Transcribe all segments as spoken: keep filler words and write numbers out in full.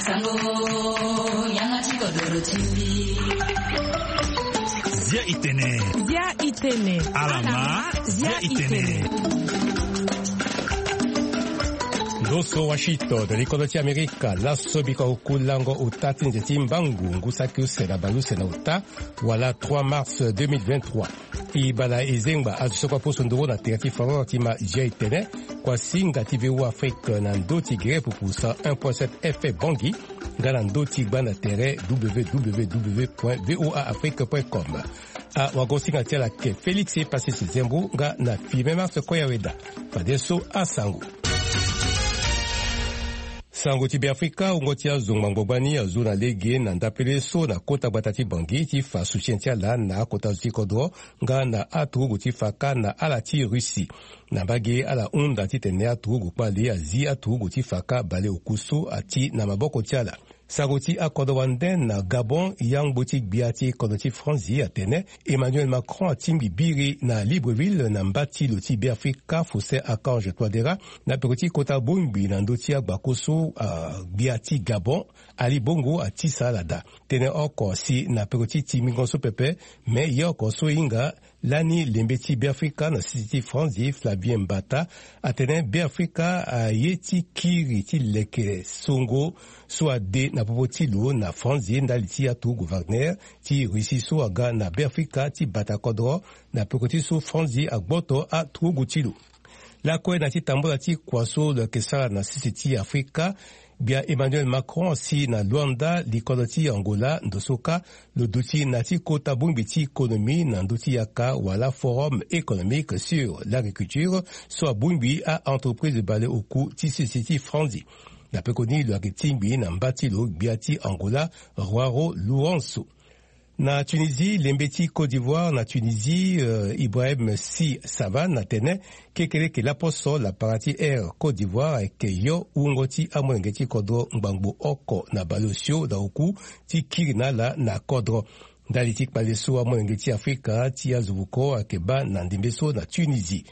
Sango, yanga ti kodoro ti mbi. Zia itene. Zia itene. Alama, zia itene. Ndo so Washington, likodo ti Amerika, laso biko oku lango ota ti nze ti mbangu, ngu saki use na bale use na ota, wala trois mars deux mille vingt-trois. E bala e zengba azo so kue aposo nduru na tere ti Faror ti ma Zia itene, kua singa ti V O A Afrique na ndo ti gere pupu cent un point sept F M Bangui, nga na ndo ti gbanda tere W W W point V O A Afrique point com. Awagosinga ti ala ke Félix Pacis Zembo nga na Firmin Mars Koyaweda. Fadeso asango. Sango ti Beafrika, wungo ti azo ngbangbo gbani azo na lege na ndapele so na kota gbata ti Bangui ti fa soutien ti ala na akota zo ti kodro nga na aturugu ti faka na ala ti Russie. Na mbage ala hunda titene aturugu kpale azi aturugu ti faka bale oku so ati na maboko ti ala. Sango ti akodro wande na Gabon, yangbo ti gbia ti kodro ti Franzi atene Emmanuel Macron atingbi biri na Libreville na mba ti lo ti Beafrika Faustin Archange Touadéra na peko ti kota bongbi na ndö ti agbako so, ah, gbia ti Gabon Ali Bongo atisa ala daa. Tënë oko si na peko ti tingbingo so pepe, me ye oko so hinga lani lembe ti Beafrika na sese ti Franzi, Flavien Mbata, atene Beafrika aye ti kiri ti leke songo so ade na popo ti lo na Franzi ndali ti aturugu Wagner ti Russie so aga na Beafrika ti bata kodro na peko ti so Franzi agboto aturugu ti lo. Lakue na ti tambula ti kua so lo yeke sara na sese ti Afrika, gbia Emmanuel Macron asi na Luanda, likodro ti Angola, ndo so kâ lo duti na ti kota bongbi ti économie na ndö ti yaka wala Forum économique sur l'agriculture so abongbi a-entreprise baleoku ti sese ti Franzi. Na pekoni lo yeke tingbi na mba ti lo gbia ti Angola, João Lourenço. Na Tunisie, lembe ti Côte d'Ivoire na Tunisie, euh, Ibrahim Sy Savane atene kekeleke laposo lapara ti Air Côte d'Ivoire ayeke yo wungo ti amolenge ti kodro ngbangbo oko na baleosio na oku ti kiri na ala na kodro. Ndali ti kpale so amolenge ti Afrika ti azo vuko ayeke baa na ndembe so na Tunisie.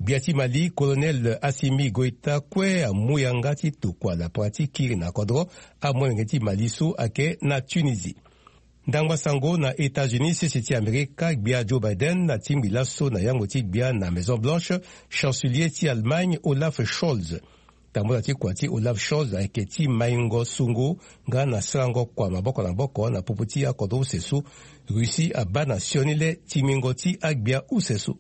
Gbia ti Mali, Colonel Assimi Goïta kue amu yanga ti tokua lapara ti kiri na kodro amolenge ti Mali so ayeke na Tunisie. Ndangba sango na États-Unis, sese ti Amerika, gbia Joe Biden atingbi laso na yangbo ti gbia na Maison Blanche, chancelier ti Allemagne, Olaf Scholz. Tambula ti kua ti Olaf Scholz ayeke ti maingo sungu nga na sarango kua maboko na maboko na popo ti akodro use so Russie abaa na sioni le tingbingo ti agbia use so.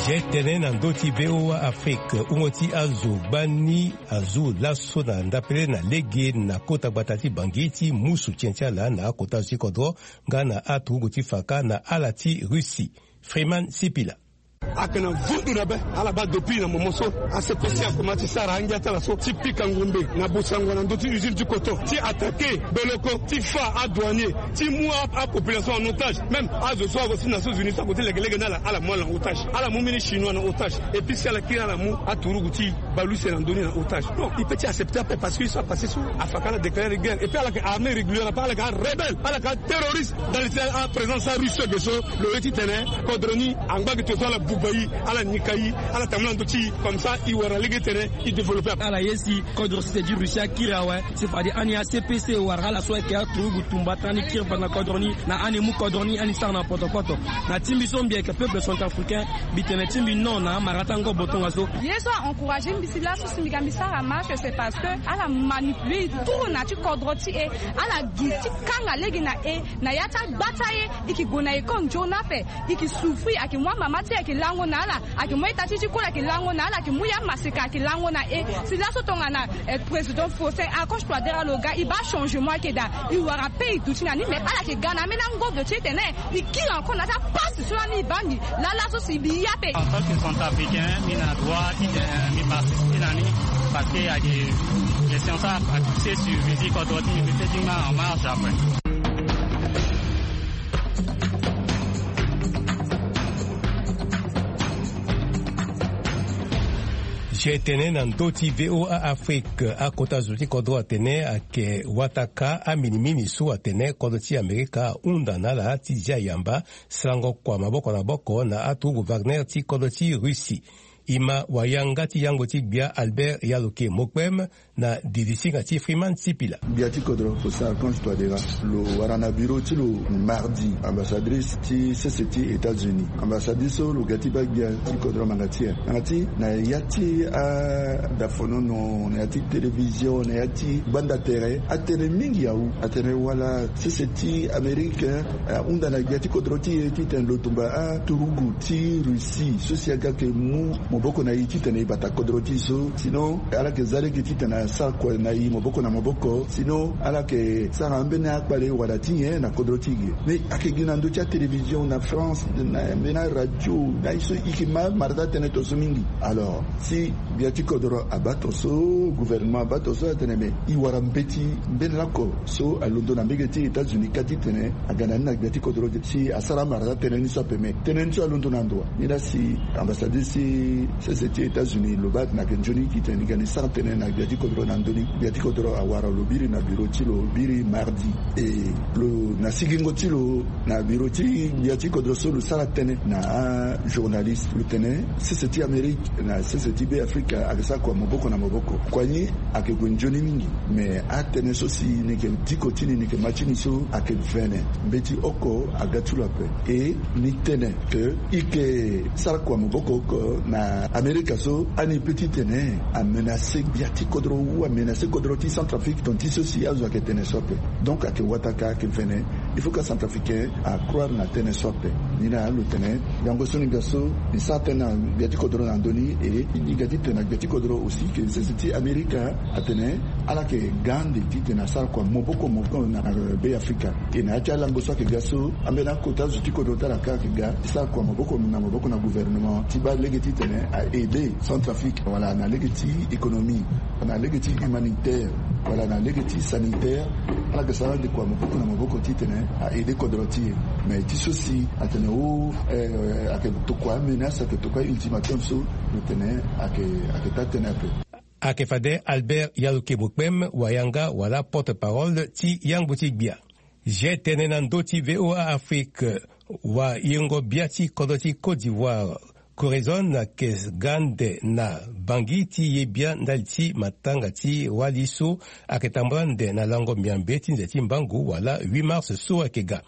Zia tënë na ndö ti V O A Afrique, wungo ti azo gbani azo laso na ndapele na lege na kota gbata ti Bangui ti mu soutien ti ala na akota zo ti kodro nga na aturugu ti faka na ala ti Russie. Freeman Sipila. Ayeke na vundu na be ala baa depuis na momo so. A C P C akoma ti sara angia ti ala so ti pika ngombe na Bosango na ndö ti usine ti coton, ti attaquer Beloko, ti fa adouanier, ti mu a, apopulation en otage. Même azo so ague ti Nations Unies so ague ti legelege na ala, ala mu ala na otage. Ala mu mbeni Chinois na otage. Et puis si ala kiri ala mu aturugu ti baleuse na ndö ni na otage. Non, il peut ti accepter ape parce que so apassé so afaka ala déclarer guerre. Et puis ala yeke armée régulière ape, ala yeke arébelle, ala yeke aterroriste. Dans le, à présence sa Russie ge so, lo ye titene kodro ni angba ge to so ala buba e, ala nika e, ala tambula ndö ti e, comme ça e wara lege titene e développer. Ala ye si kodro sese ti Russie akiri awe, si fade ani A C P C wala ala so ayeke aturugu tumba tënë ni kiri bata na kodro ni, na ani mu kodro ni ani sara na potopoto. Na ti mbi so mbi yeke peuple centrafricain, mbi tene ti mbi non na amara ti angobo tongaso so. Ye so a encourager mbi si laso si mbi ga mbi sara marche, c'est parce que ala manipuler e trop na ti kodro ti e, ala gi ti kanga lege na e, na ya ti agbata e, e ke gue na école nzoni ape, e ke souffrir, ayeke mu amama ti e ayeke lango na ala, ayeke mu ita ti ti koli ayeke lango na ala, ayeke mu ya maseka ayeke lango na e. Si laso tongana, eh, président Faustin Archange Touadéra lo ga, e baa changement ayeke daa, e wara pe e duti na ni, mais ala yeke ga na ambeni angobo ti e tene e kiri encore na ya ti apasi so lani e baa mbi. Laa laso si mbi ye ape. En tant que centrafricain, mbi na droit ti, eh, mbi participer na ni, parce que il y a des questions ça a touché sur vie ti kodro ti mbi, mbi peut ti nga en marche après. Zia tënë na ndö ti V O A Afrique, akota zo ti kodro atene ayeke wataka aminimini so atene kodro ti Amerika ahunda na ala ti zia yamba sarango kua maboko na maboko na aturugu Wagner ti kodro ti Russie. E ma wayanga ti yangbo ti gbia Albert Yaloke Mokpem na didisinga ti Freeman Sipila. Gbia ti kodro Faustin Archange Touadéra lo wara na bureau ti lo mardi ambassadrice ti sese ti États-Unis. Ambassadrice so lo ga ti baa gbia ti kodro manga ti e. Nanga ti na ya ti adafonono, na ya ti télévision, na ya ti gbanda tere, atene mingi awu. Atene wala sese ti Amérique ahunda na gbia ti kodro ti e titene lo tumba aturugu ti Russie so si aga yeke mu maboko na e titene e bata kodro ti e so. Sinon ala yeke za lege titene asara kua na e maboko na maboko. Sinon ala yeke sara ambeni akpale wala ti nyen na kodro ti e ge. Mais ayeke gi na ndö ti atélévision na France, na ambeni aradio, na ye so e yeke ma mara ti atënë tongaso mingi. Alors si gbia ti kodro abaa tongaso, gouvernement abaa tongaso, atene me e wara mbeti mbeni laoko so alondo na mbege ti États-Unis kâ titene aga na ni na gbia ti kodro si asara amara ti atënë ni so ape. Me tënë ni so alondo na ndo wa? Ni laa si ambassadeur ti sese ti États-Unis lo baa atene ayeke nzoni titene ni ga ni sara tënë na gbia ti kodro na ndö ni. Gbia ti kodro awara lo biri na bureau ti lo biri mardi. E lo na sigingo ti lo na bureau ti gbia ti kodro so lo sara tënë na ajournaliste, lo tene sese ti Amérique na sese ti Be Afrika ayeke sara kua maboko na maboko. Kua ni ayeke gue nzoni mingi. Me atënë so si ni yeke diko ti ni, ni yeke ma ti ni so ayeke vene. Mbeti oko aga ti lo ape. E ni tene ke e yeke sara kua maboko oko na Amerika so ani peut titene amenace gbia ti kodro ou amenace kodro ti Centrafrique, tonga ti so si azo ayeke tene so ape. Donc ayeke wataka, ayeke vene. Il faut que acentrafricain acroire na tënë so ape. Ni laa lo tene yango so ni ga so ni sara tënë na gbia ti kodro na ndö ni. E ni ga titene na gbia ti kodro aussi ke sese ti Amerika atene ala yeke ga ande titene asara kua maboko maboko na Be Afrika. E na ya ti alango so ayeke ga so ambeni akota zo ti kodro ti ala kâ ayeke ga ti sara kua maboko na maboko na gouvernement ti baa lege titene a aider Centrafrique wala na lege ti économie, na lege ti humanitaire, wala na lege ti sanitaire. Ala yeke sara ande kua maboko na maboko titene a aider kodro ti e. Mais ti so si atene o, eh, ayeke tokua amenace, ayeke tokua ultimatum so lo tene ayeke, ayeke taa tënë ape. Ayeke fade Albert Yaloke Mokpem, wayanga wala porte-parole ti yangbo ti gbia. Ge tene na ndö ti V O A Afrique, wayengo bia ti kodro ti Côte d'Ivoire, Corazon ayeke ga ande na Bangui ti ye bia ndali ti matanga ti wali so ayeke tambula ande na lango miambe ti nze ti mbangu wala huit mars so ayeke ga.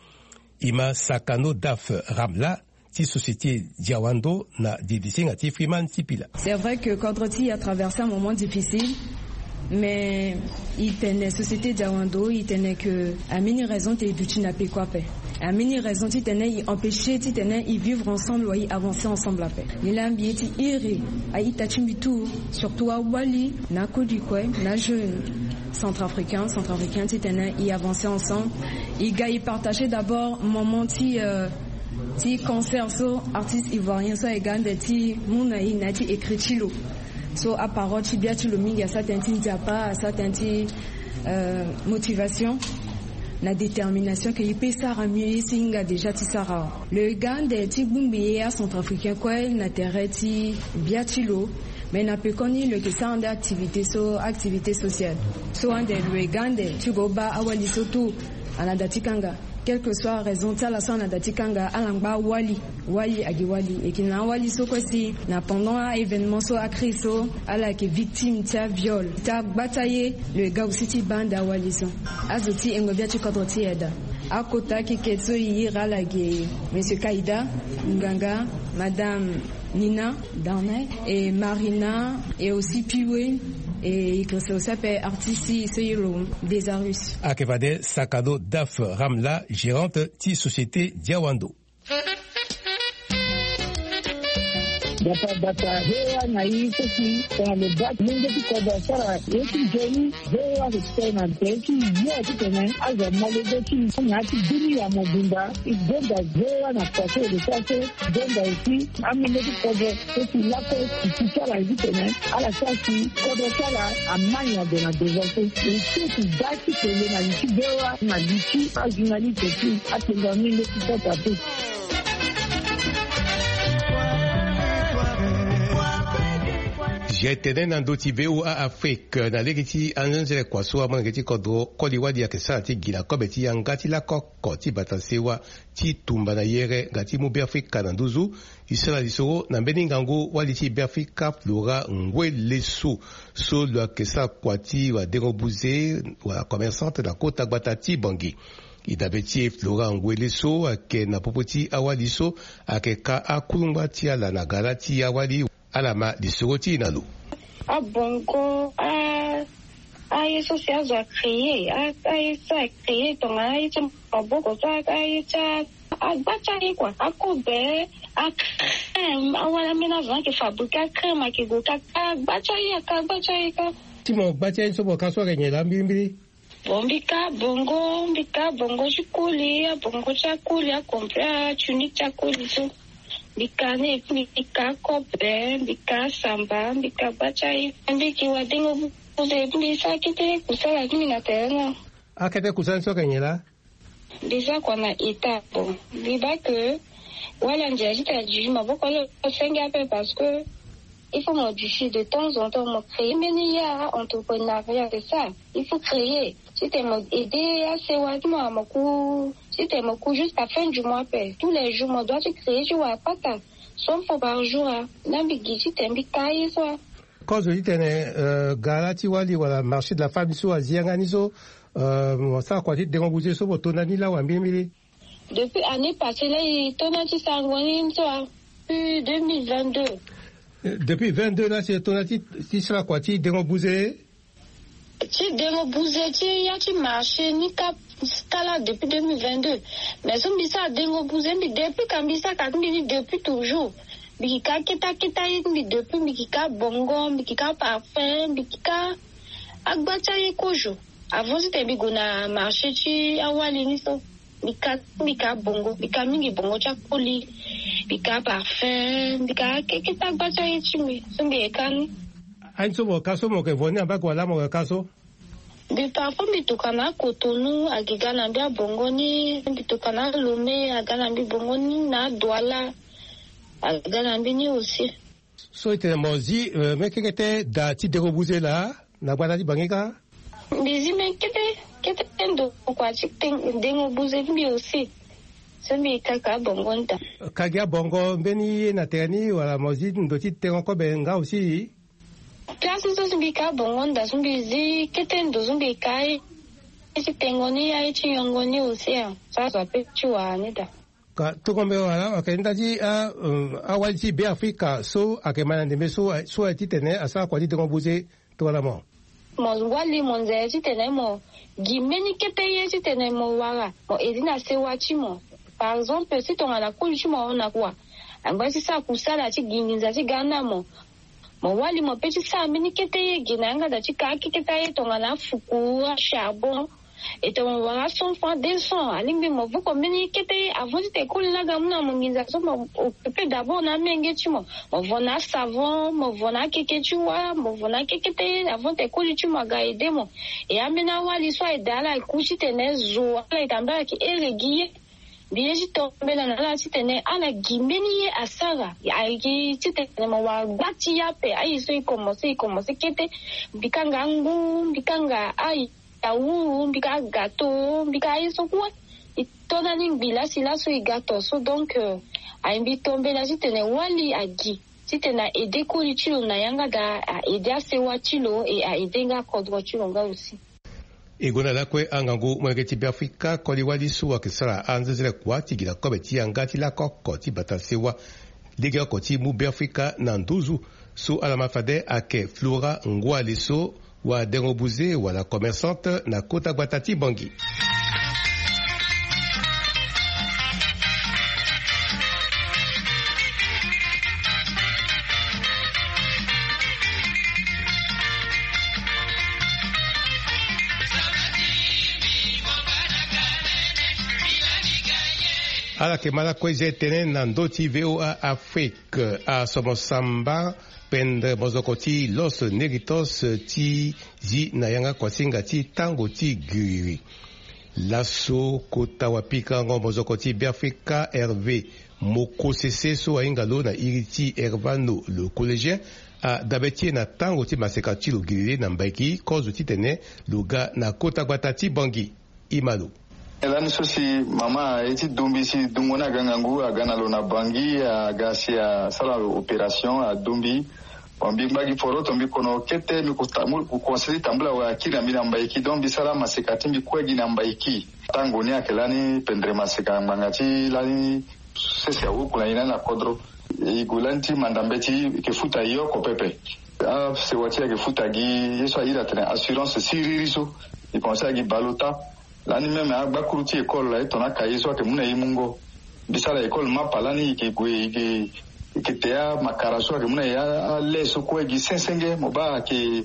E ma Sakano Daf Ramla ti société Diawando na didisinga ti Freeman Sipila. C'est vrai que kodro ti e atraverse un moment difficile, mais e tene société Diawando, e tene ke ambeni raison ti e duti na peko ape. Ambeni raison titene e empêcher titene e vivre ensemble wala e avancer ensemble ape. Ni laa mbi ye ti iri a-ita ti mbi tout, surtout awali na akoli kue na jeune centrafricain, centrafricain titene e avancer ensemble. E ga e partager d'abord moment ti, euh, ti concert so artiste ivoirien so aye ga ande ti mu na e na ya ti écrit ti lo. So aparole ti bia ti lo mingi asara tënë ti nzapa, asara tënë ti, euh, motivation na détermination ke e peut sara mieux ye so e hinga déjà ti sara awe. Lo ye ga ande ti gbongbi ye acentrafricain kue na tere ti bia ti lo. Mais na pekoni lo yeke sara ande activité so, activité sociale. So ande lo ye ga ande ti go baa awali so tout, ala na da ti kanga. Quelle que soit raison ti ala so ala na da ti kanga, ala ngba awali. Wali agi wali. E yeke na awali so kue si na pendant a-événement so, a-crise so, ala yeke victime ti aviol, ti agbata ye. Lo ye ga aussi ti baa ande awali so. Azo ti yengo bia ti kodro ti e daa. Akota keke so e iri ala ge Monsieur Kaïda, Nganga, Madame Nina Darnay, et Marina, et aussi Piwe, et e yeke reste aussi ape artiste so e iri lo Desarus. Ayeke fade Sakado Daf Ramla, gérante ti société Diawando. Bata bata V O A na e so si tongana lo baa molenge ti kodro asara ye ti nzoni. V O A ayeke tene na tere ti yo titene azo amolenge ti na ya ti dunia mobimba. E gonda V O A na kua so e lo sara so, gonda aussi amolenge ti kodro so si lakue e si ti ala ye titene ala sara si kodro ti ala ama nyango na devant so. E so e si baa ti tene na li ti V O A na li ti ajournaliste ti atenda ni leti kota te. Zia etene na ndö ti VOA Afrique na lege ti anzenze kua so amolenge ti kodro koli wali ayeke sara ti gi na kobe ti yanga ti lakoko ti bata sewa ti tumba na yere nga ti mu Beafrika na nduzu. E sara lisoro na mbeni ngangu wali ti Beafrika Flora Ngwe Leso so lo yeke sara kua ti wadengo buze wala commerçante na kota gbata ti Bangui. E dabe ti e Flora Ngwe Leso ayeke na popo ti awali so ayeke ka akulungba ti ala na gara ti awali. Ala ma lisoro ti e na lo. Abongo a aye so si azo acréer aye so acréer tongana aye ti maboko so aye ti agba ti aye kua akobe acrème awali ambeni azo ayeke fabriquer acrème ayeke gue ka agba ti aye aka agba ti aye ka. Ti mo gba ti aye so mo ka so ayeke nyen laa mbirimbiri? Bon mbi ka bongo mbi ka bongo ti koli abongo ti akoli acomplet atunique ti akoli so. Mbi ka ni epi mbi ka kobe mbi ka samba mbi ka gba ti aye. Mbi ki wadengo buze epi mbi sara kete kusala ti mbi na tere na. Akete kusala ni so ayeke nyen laa? Déjà kua na état bon mbi baa ke wala ndia ti tena duti maboko lo senge ape parce que il faut mo duti de temps en temps mo créer mbeni ya entreprenariat c'est ça. Il faut créer ti tena mo aider asewa ti mo amoku ti tena mo ku jusqu'à fin du mois ape tous les jours mo doit ti créer ti wara pata cent francs par jour a. Na mbi gi ti tena mbi ka ye so a. Kozo ti tene gara ti wali wala marché de la femme so azi yanga ni so mo sara kua ti dengo buze so mo to na ni lawa mbirimbiri? Depuis année passée la e to na ti sarango ni so a. Depuis deux mille vingt-deux. Depuis vingt-deux la si e to na ti sara kua ti dengo buze? Ti dengo buze ti ya ti marché ni ka kala depuis deux mille vingt-deux. Mais so mbi sara dengo buze mbi depuis ka mbi sara ka ti mbi ni depuis toujours. Mbi ki ka keta keta ye ti mbi depuis mbi ki ka bongo mbi ki ka parfum mbi ki ka agba ti aye kozo. Avant ti tene mbi gue na marché ti awali ni so mbi ka ti mbi ka bongo mbi ka mingi bongo ti akoli mbi ka parfum mbi ka akekete agba ti aye ti mbi so mbi yeke ka ni. Aye ni so mo ka so mo yeke vo ni ambako wala mo yeke ka so? Mbi parfois mbi toka na akotonu agi ga na mbi abongo ni mbi toka na alome aga na mbi bongo ni na aduala aga na mbi ni aussi. So e tene mo zi mbeni kekete da ti dengo buze laa na gbata ti bangi kâ? Mbi zi mbeni kete kete ndo kua ti dengo buze ti mbi aussi. So mbi kaka abongo nda. Ka gi abongo mbeni ye na tere ni wala mo zi ndo ti tengo kobe nga aussi? Place ni so si mbi ka abongo nda so mbi zi kete ndo so mbi ka ye ti tengo ni aye ti yongo ni aussi. So azo ape ti wara ni da. Ka tongombe wala ayeke nda ti awali ti Beafrika so ayeke ma na ndembe so so aye titene asara kua ti dengo buze. Tongana mo mo wali mo nzere titene mo gi mbeni kete ye titene mo wara mo edi na sewa ti mo. Par exemple si tongana koli ti mo ahon na kua angba ti sara kusala ti gi nginza ti ga na mo. Mo wali mo pe ti sara mbeni kete ye gi na yanga da ti ka akeketa ye tongana afuku acharbon. E tongana mo wara cent francs deux cents alingbi mo vuko mbeni kete ye avant ti tene koli laga mu na mo nginza so mo occupe d'abord na amenge ti mo. Mo vo na asavon mo vo na akeke ti wa mo vo na akekete ye avant tene koli ti mo aga aide mo. E ambeni awali so aye daa ala eku titene zo ala eke ambeni ala yeke here gi ye. Mbi ye ti tombela na ala titene ala gi mbeni ye asara. Ayeke titene mo wara gba ti ye ape aye so e komanse e komanse kete. Mbi kanga angu mbi kanga aye awuru mbi ka agato mbi ka aye so kue. E to na ni ngbi lasi laso e ga to so donc aye mbi tombela titene wali agi titene a aide koli ti lo na yanga daa a aide asewa ti lo e a aide nga akodro ti lo nga aussi. E gonda lakue angangu molenge ti Beafrika koli wali so ayeke sara anzenzele kua ti gi na kobe ti yanga ti lakoko ti bata sewa. Lege oko ti mu Beafrika na nduzu so ala ma fade ayeke Flora Ngwale so wadengo buze wala commerçante na kota gbata ti Bangui. Ala yeke ma lakue zia tënë na ndö ti VOA Afrique. Asomo samba pendre mozoko ti Los Negritos ti zi na yanga kuasinga ti tango ti giriri. Laso kota wapikango mozoko ti Beafrika Hervé Mokosese so ahinga lo na iri ti Hervano le collégien Adabe ti e na tango ti maseka ti lo giriri na Mbaiki kozo titene lo ga na kota gbata ti Bangi. Imalo. Lani so si mama aye ti dumbi si dungo ni aga ngangu aga na lo na Bangi aga si asara lo opération adumbi. Bon mbi ngba gi foroto mbi kono kete mbi kukonseri tambula wa akiri na mbi na Mbaiki donc mbi sara maseka ti mbi kue gi na Mbaiki. Tango ni ayeke lani pendere maseka ngbanga ti lani sese awuku na ye lani na kodro. E gue lani ti manda mbeti e yeke futa e oko pepe. Asewa ti e ayeke futa gi ye so a iri atene assurance siriri so. E commencer agi baleota. Lani même agbakuru ti école aye tongana akaye so ayeke mu na e mungo. Mbi sara école mapa lani e yeke gue e yeke e yeke te amakara so ayeke mu na e ale so kue gi sensenge mo baa ayeke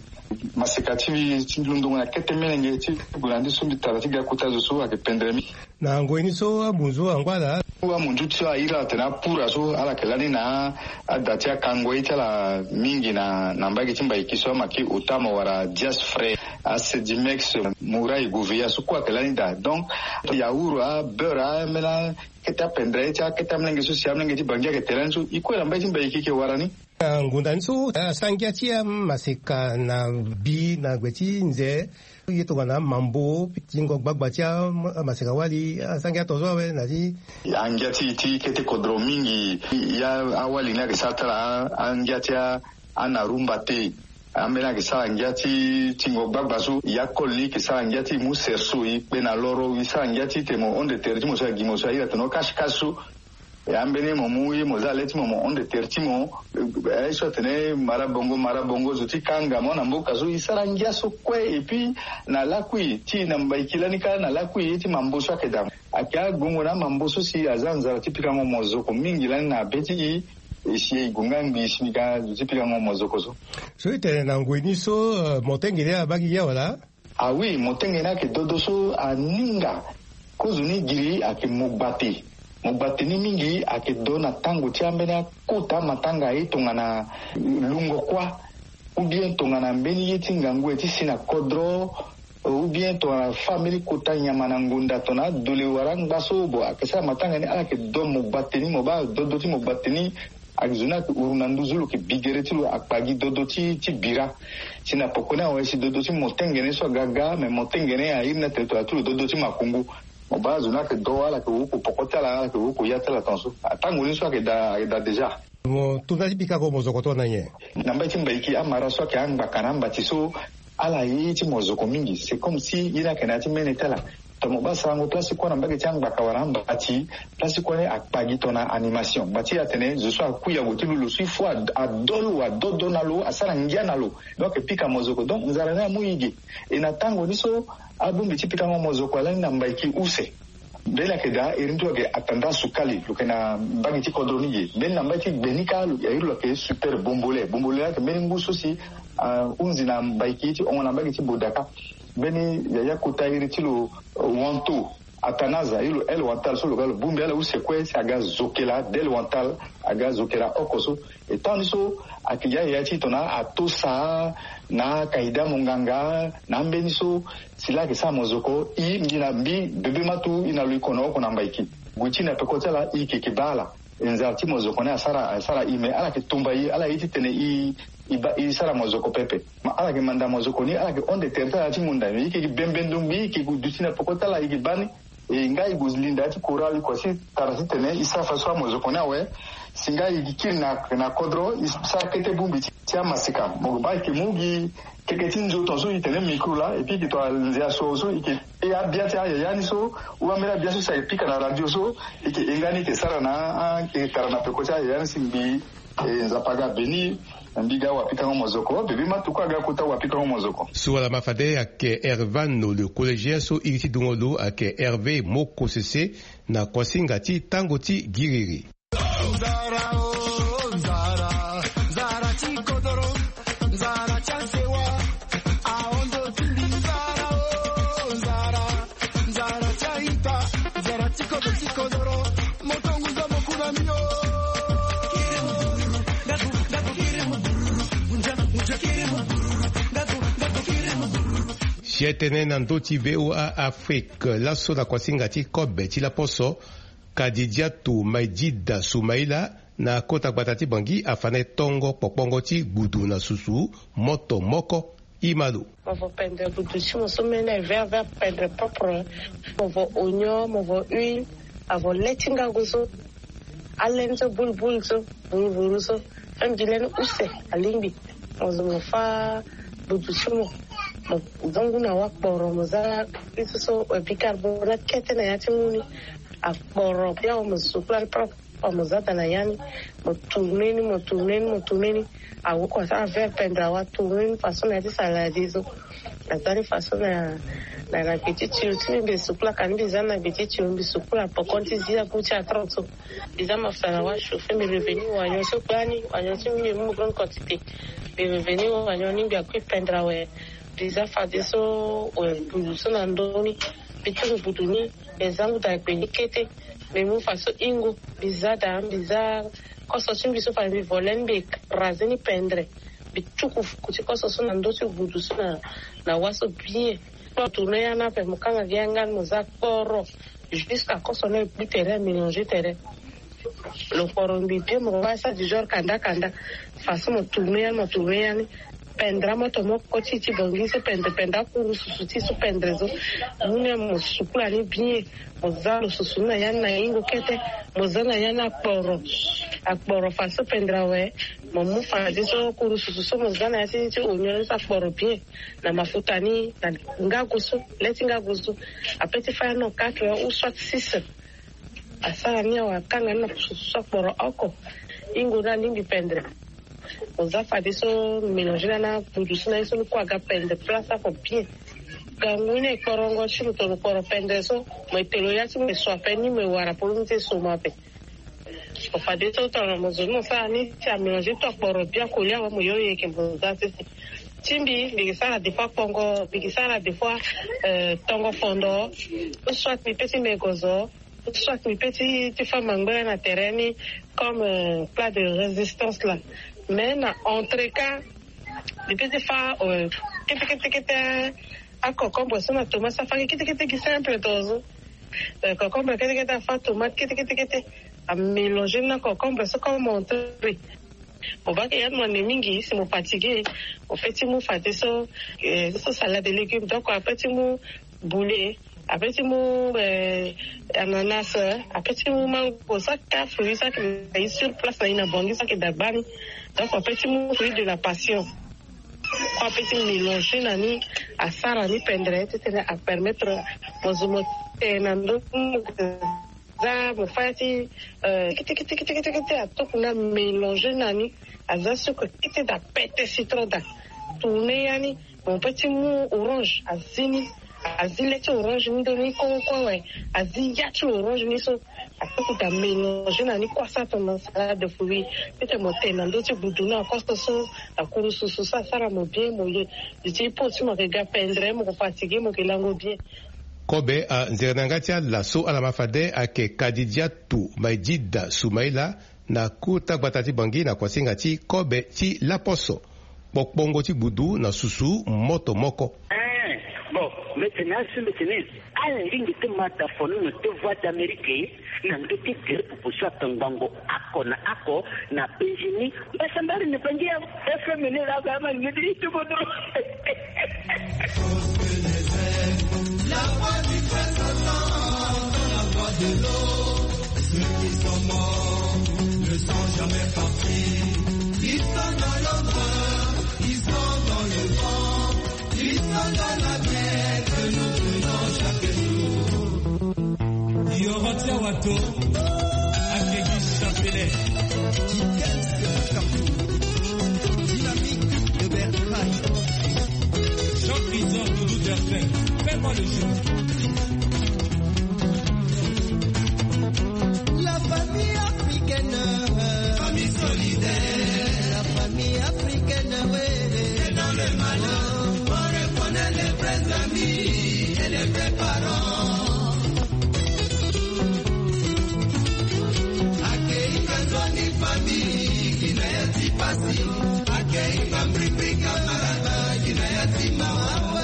maseka ti mbi ti londongo na kete melenge ti gue na ndi so mbi tara ti ga kota zo so ayeke pendere mingi. Na ngoi ni so amunzu angba ala. Amunzu ti so a iri ala tene apura so ala yeke lani na ada ti akango ye ti ala mingi na na mbage ti Mbaiki so ama ki otamo wala dias frais asedimex murai goveya so kue ayeke lani daa donc yaour abeurre ambeni akete apendere ye ti akete amolenge so si amolenge ti Bangi ayeke te lani so e kue na mbage ti Mbaiki e yeke wara ni. Ngonda ni so asara ngia ti amaseka na bi na gbe ti nze. Ye tongana mambo tingo gbagba ti amaseka wali asara ngia tongaso awe na ti. Angia ti ti kete kodro mingi. Ya awali ni ayeke sara ti ala angia ti anarumba te. Ambeni ayeke sara ngia ti tingo gbagba so ya kole ni yeke sara ngia ti mu serso e kpe na loro e sara ngia ti tene mo honde tere ti mo so agi mo so a iri atene o kasikasi so. E ambeni mo mu ye mo za le ti mo mo honde tere ti mo. Aye so atene mara bongo mara bongo zo ti kanga mo na mboka so e sara ngia so kue et puis na lakui ti e na Mbaiki lani kâ na lakui ye ti mambo so ayeke daa. Ayeke agongo na amambo so si aza nzara ti pikango mozoko mingi lani na be ti e. E si e gue nga ngbii si mbi ga zo ti pikango mozoko so. So e tene na ngoi ni so mo tengene abaa gi ya wala? Ah oui, motenge ni ayeke dodo so aninga. Kozo ni giri ayeke mogbate. Mogbate ni mingi ayeke do na tango ti ambeni akota matanga ye tongana lungo kuâ, ou bien tongana mbeni ye ti ngangu ye ti si na kodro, ou bien tongana fâ mbeni kota nyama na ngonda tongana adole wala angba so bo ayeke sara matanga ni ala yeke do mogbate ni mo baa dodo ti mogbate ni. Ayeke zo ni ayeke uru na nduzu lo yeke bi gere ti lo akpa gi dodo ti ti bira. Si na poko ni awe si dodo ti motengene so aga ga me motengene airi ni atene tongana ti lo dodo ti makongo. Mo baa zo ni ayeke do ala yeke woko poko ti ala ala yeke woko ya ti ala tongaso. Atango ni so ayeke daa ayeke daa déjà. Mo to nda ti pikango mozoko tongana nyen? Na mbage ti Mbaiki amara so ayeke angbaka na ambati so ala ye ye ti mozoko mingi c'est comme si ye ni ayeke na ya ti mene ti ala. Tongana mo baa sarango place ti kua na mbage ti angbaka wala ambati place ti kua ni akpa gi tongana animation ngba ti atene zo so akui ague ti lu lo so il faut ado lo adodo na lo asara ngia na lo. Donc ayeke pika mozoko donc nzara ni amu e ge. E na tango ni so abongbi ti pikango mozoko alani na Mbaiki use. Mbeni ayeke daa iri ni ti lo ayeke atanda sukali lo yeke na mbage ti kodro ni ge mbeni na mbage ti gbe ni kâ lo ya iri lo ayeke super bombole bombole ni ayeke mbeni ngu so si ahunzi na Mbaiki ti hongo na mbage ti bodaka. Mbeni yaya kota iri ti lo wanto atanaza iri lo el wantal so lo ga lo bongbi ala use kue si aga zokela del wantal aga zokela oko so. E temps ni so ayeke ya yaya ti tongana atosa na akaida monganga na ambeni so si laa ayeke sara mozoko i mbi na mbi bebe matu i na lo i kono oko na Mbaiki. Gue ti na peko ti ala i yeke yeke baa ala. E nzara ti mozoko ni asara asara i me ala yeke tumba i ala ye ti tene i i ba i sara mozoko pepe. Ma ala yeke manda mozoko ni ala yeke honde tere ti ala ti ngonda me i yeke gi bembe ndongbi i yeke gue duti na peko ti ala i yeke baa ni. E nga i gue linda ti kora i kua si tara titene i sara fa so amozoko ni awe. Si nga i gi kiri na na kodro i sara kete bongbi ti ti amasika mo baa i yeke mu gi keke ti nzoto so i tene mikro laa et puis i yeke to anze aso so i yeke e abia ti ayaya ni so ou ambeni abia so si ayeke pika na radio so i yeke e nga ni i yeke sara na a i yeke tara na peko ti ayaya ni si ngbii. E nzapa aga beni. Mbi ga wapikango mozoko bebe matuku aga kota wapikango mozoko. Suala ma fade ayeke Hervano le collégien so iri ti dungo lo ayeke Hervé Mokosese. Na kuasinga ti tango ti giriri. Nzara o nzara, nzara ti kodoro, nzara ti asewa. Ahondo ti mbi nzara o nzara, nzara ti aita, nzara ti kodoro ti kodoro. Motongu zo moku na mbi o. Kiri mugururu, ndaku ndaku kiri mugururu. Unja unja kiri mugururu, ndaku ndaku kiri mugururu. Si e tene na ndö ti VOA Afrique laso na kuasinga ti kobe ti laposo. Kadidiatu Maidida Soumaila Na kota gbata ti Bangui afa na e tongo kpokpongo ti gbudu na susu moto moko. Imalo. Mo vo pendre gbudu ti mo so mene vert vert pendre propre. Mo vo oignon, mo vo huile, avo le ti ngago so, alene so, bulbul so, vuruvuru so, fem di lene use alingbi. Mo zo mo fa gbudu ti mo, mo zongu na wa kporo, mo za iso so, eh, bicarbonate kete na ya ti mu ni. Akporo bia wa mo sukula ni propre. Mo za daa na ya ni, mo tourne ni, mo tourne ni, mo tourne ni. Awo ko asara vert pendre awa tourne ni façon na ya ti salade so. Aza ni façon na, na, na gbe ti tio ti mbi sukula ka ni mbi za na gbe ti tio mbi sukula pokon ti zi agu ti atrente so. Mbi za mafuta na wa chauffe mbi revenir wanyon so gbani wanyon ti mbi mu grande quantité. Mbi revenir wanyon ni mbi akui pendre awe. Mbi za fadeso, eh, gbudu so na ndö ni. Mbi tuku gbudu ni. Mbi zangu daa gbe ni kete. Mbi mu faso ingo. Mbi za daa mbi za koso ti mbi so fade mbi vole ni mbi écrase ni pendre. Mbi tuku fuku ti koso so na ndö ti gbudu so na, na wa so bien. Mo tourne ya ni ape mo kanga gi yanga ni mo za kporo. Jusqu'à koso ni egbu tere amélange tere. Lo kporo ngbi bien mo ko baa sa du genre kanda kanda. Façon mo tourne ya ni mo tourne ya ni. Pendre amoto moko ti ti Bangui so pendre pendre akuru susu ti so pendre so. Mu ni mo sukula ni bien. Mo za lo susu ni na ya ni na ingo kete. Mo za na ya ni akporo. Akporo façon pendre awe. Mo mu fadeso kuru susu so mo za na ya ti ti oignon ni so akporo bien. Na mafuta ni na ngago so le ti ngago so. Ape ti fa ya non quatre heures ou soit six. Asara ni awe akanga ni na susu so akporo oko. Ingo ni alingbi pendre. Mo za fadeso mélange na na gbudu so na ye so ni kue aga pendre place oko bien. Gangu ni ekporongo ti lo to lo kporo pendre so. Mo ete lo ya ti mo eso ape ni mo ewara polo ni ti eso mo ape. Mo fadeso tongana mo zo ni mo sara ni ti amélange to akporo bien kolia awe mo yo yeke mo za sese. Ti mbi mbi ke sara des fois kpongo mbi ke sara des fois, euh, tongo fondo. Ou soit mbi pe ti mego zo. Soit mbi pe ti ti fa mangbere na tere ni comme, euh, plat de résistance là. Mais na entre cas mbi pe ti fa, euh, kete kete kete. Acocombre so na tomate so afa gi kete kete gi simple to zo. Euh, cocombre kete kete afa tomate kete kete kete. Amélange ni na cocombre so comme entrée. Mo baa ke ya ni mo ande mingi si mo fatigué. Mo pe ti mu fadeso, eh, so salade de légumes donc ape ti mu boulet. Ape ti mu, eh, ananas. Ape ti mu mango so ake afruit so ake na ye sur place na ye na Bangui so ake daa gbani. Donc ape ti mu fruit de la passion. Ape ti mélange na ni. Asara ni pendre ti tene apermettre mo zo mo te na ndö. Za mo fa ya ti, euh, tiki tiki tiki tiki tiki atuku na mélange na ni. Aza sucre kete daa pete citron daa. Tourne ya ni. Mo pe ti mu orange azi ni. Azi le ti orange ni ndo ni koko awe. Azi ya ti orange ni so. Atuku daa mélange na ni kue asara tongana salade de fruit. Ti tene mo te na ndö ti gbudu ni akoso so. Akuru susu so asara mo bien mo ye. Di ti po ti mo ayeke ga pendre mo ko fatigué mo yeke lango bien. Kobe anzere na yanga ti ala so ala ma fade ayeke Kadidiatu Maidida Soumaila na kota gbata ti Bangui na kuasinga ti kobe ti laposo. Kpokpongo ti gbudu na susu moto moko. Eh, bon, mbi tene asi mbi tene ala lingbi ti ma da fono na deux voix d'Amérique. Na ndö ti gere pupu so atongbango ako na ako na penzi ni. Mbasambari ni pangi ya F M ni la ka ma ngedi itu bodo. La voix du peuple s'entend dans la voix de l'eau. Ceux qui sont morts ne sont jamais partis. Ils sont dans l'ombre, ils sont dans le vent. Ils sont dans la mer que nous prenons chaque jour. Yoro Tiawato, Akegi Chapelet. Dynamique de Bertrand. Jean Prison, Doudou Derpin, fais-moi le jeu. La famille africaine. Famille solidaire. La famille africaine, oui. C'est dans le malheur qu'on reconnaît les vrais amis et les vrais parents. Akei ka nzoni famille, kina ya ti pasi. Akei ka mbribri camarade, kina ya ti mawa.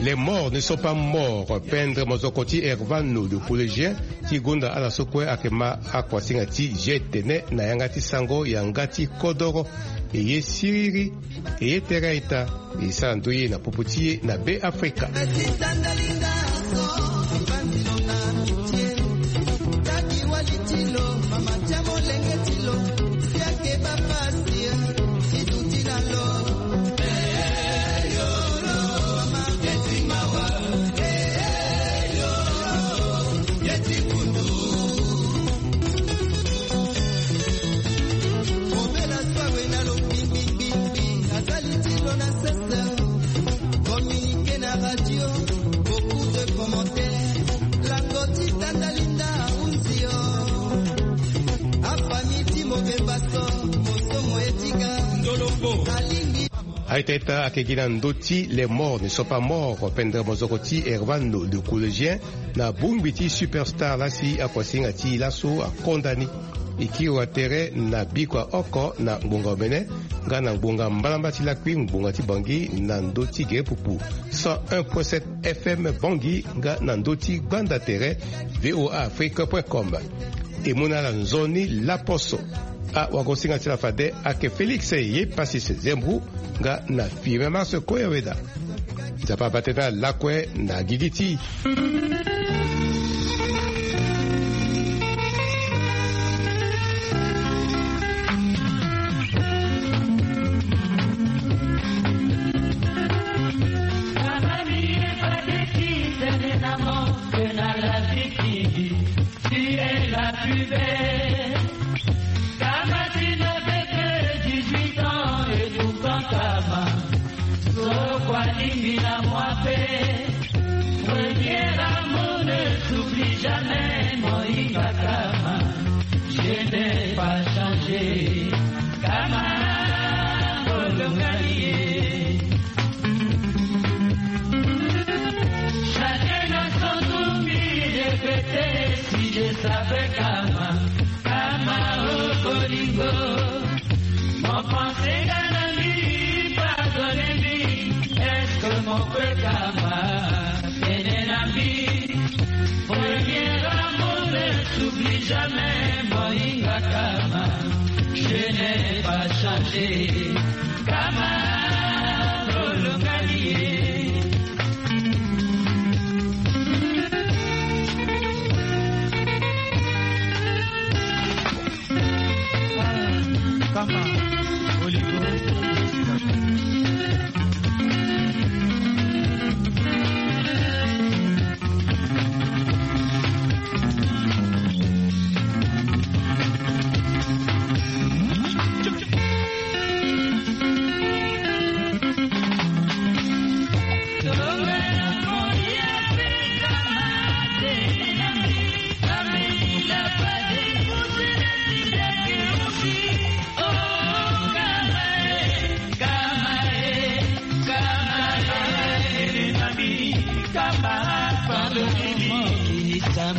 Le Mort ne sont pas morts, pendre mozoko ti Hervano le collégien ti gonda ala so kue ayeke ma akuasinga ti G T N na yanga ti sango yanga ti kodoro. E ye siriri, e ye tere aita. E sara ndoye na popo ti e na Be Afrika. Communiqué na radio, beaucoup de commentaires. Lango ti tanda linda auzi o. Afami ti mobemba so, mosomo etika. Ndoloko. Alingi. Aita ita ayeke gi na ndö ti Les morts ne sont pas morts, pendre mozoko ti Hervano le collégien, na bongbi ti superstar laa si akuasinga ti e laso akonda ni. E kiri wa tere na bikua oko na ngbonga omene, nga na ngbonga mbalamba ti lakui ngbonga ti Bangui na ndö ti gere pupu cent un point sept F M Bangui, nga na ndö ti gbanda tere V O A Afrique point com. E mu na ala nzoni laposo. Awagosinga ti ala fade ayeke Félix Ye Passis Zembou, nga na Firmin Mars Koyaweda. Nzapa abate na lakue na gigi ti. Tu es la plus belle. Kama, tu n'avais que dix-huit ans et pourtant kama, so kua lingbi na moi pe. Premier amour ne s'oublie jamais, moinga kama, je n'ai pas changé. Kama, bolongani ye. Chacun a son tour, mi répéter si je savais kama, kama o bolingo. Mon pensée na mi, pardonne mi, est-ce que mon cœur kama, ene na mi. Premier amour ne s'oublie jamais, moinga kama, je n'ai pas changé. Kama, bolongani ye. Kama, bolingo.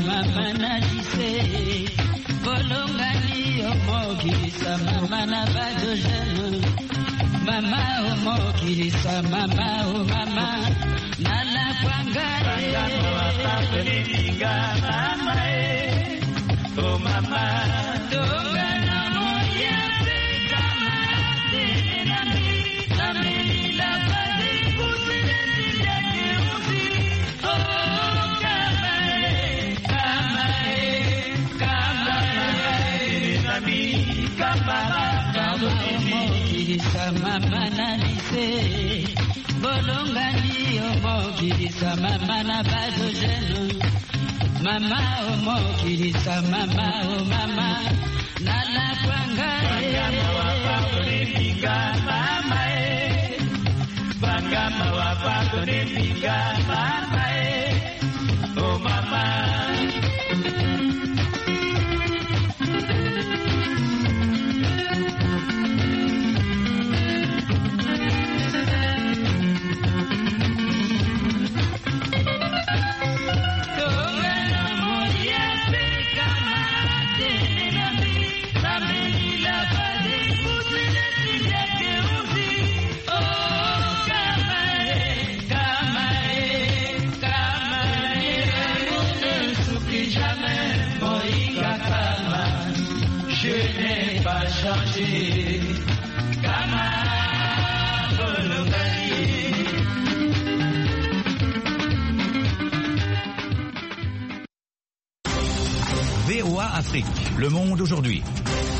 Mama na lise, bolongani yo mokilisa mama na bado jeune. Mama o mokilisa, mama o mama, na la kwanga e. Mama e, o mama. Tonga na moya pe kama te na mi, na mi la bade kutu na ti ya ke uzi. Oh, kama e, kama e, kama e, na mi, kama, pardon, mokilisa mama na lise. Bolongani o mokilisa mama na bado jeune. Mama o mokilisa, mama o mama, na la kwanga e. Banga mawa, pardonne mi nga, mama e. Banga mawa, pardonne mi nga, mama e. Oh, mama. V O A Afrique, le monde aujourd'hui.